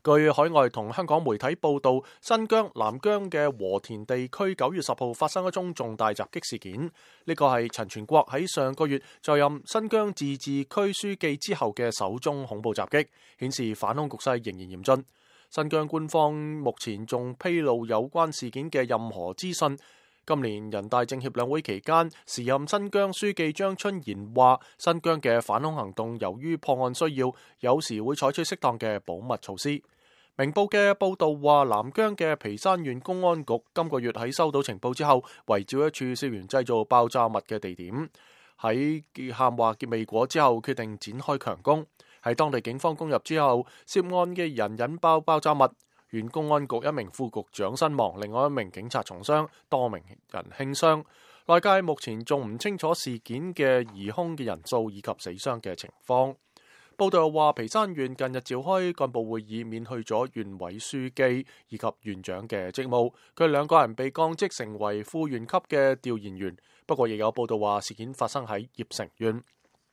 據海外同香港媒體報道，新疆南疆嘅和田地區9月10號發生一宗重大襲擊事件。呢個係陳全國喺上個月就任新疆自治區書記之後嘅首宗恐怖襲擊，顯示反恐局勢仍然嚴峻。新疆官方目前仲披露有關事件嘅任何資訊。今年人大政協兩會期間，時任新疆書記張春賢話，新疆嘅反恐行動由於破案需要，有時會採取適當嘅保密措施。明報嘅報道話，南疆嘅皮山縣公安局今個月喺收到情報之後，圍剿一處涉嫌製造爆炸物嘅地點，喺喊話結未果之後，決定展開強攻。喺當地警方攻入之後，涉案嘅人引爆爆炸物。縣公安局一名副局長身亡，另外一名警察重傷，多名人輕傷。內界目前仲唔清楚事件嘅疑兇嘅人數以及死傷嘅情況。報道又話，皮山縣近日召開幹部會議，免去咗縣委書記以及縣長嘅職務，佢兩個人被降職成為副縣級嘅調研員。不過亦有報道話，事件發生喺葉城縣。